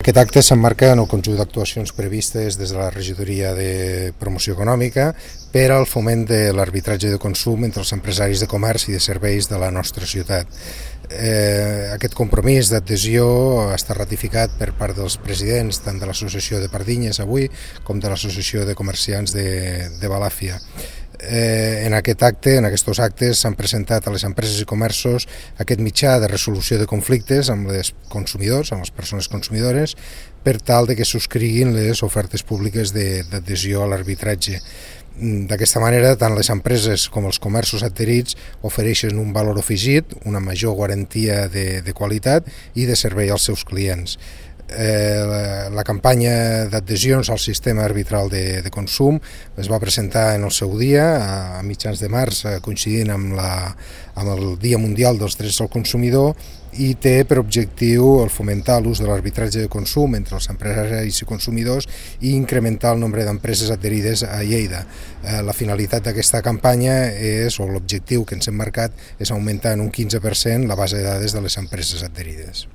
Aquest acte s'emmarca en el conjunt d'actuacions previstes des de la Regidoria de Promoció Econòmica per al foment de l'arbitratge de consum entre els empresaris de comerç i de serveis de la nostra ciutat. Aquest compromís d'adhesió ha estat ratificat per part dels presidents tant de l'Associació de Pardinyes avui com de l'Associació de Comerciants de Balàfia. En aquests actes s'han presentat a les empreses i comerços aquest mitjà de resolució de conflictes amb els consumidors, amb les persones consumidores, per tal de que subscriguin les ofertes públiques d'adhesió a l'arbitratge. D'aquesta manera, tant les empreses com els comerços adherits ofereixen un valor afegit, una major garantia de qualitat i de servei als seus clients. La campanya d'adhesions al sistema arbitral de consum es va presentar en el seu dia, a mitjans de març, coincidint amb el Dia Mundial dels Drets del Consumidor, i té per objectiu el fomentar l'ús de l'arbitratge de consum entre els empresaris i consumidors i incrementar el nombre d'empreses adherides a Lleida. La finalitat d'aquesta campanya o l'objectiu que ens hem marcat és augmentar en un 15% la base de dades de les empreses adherides.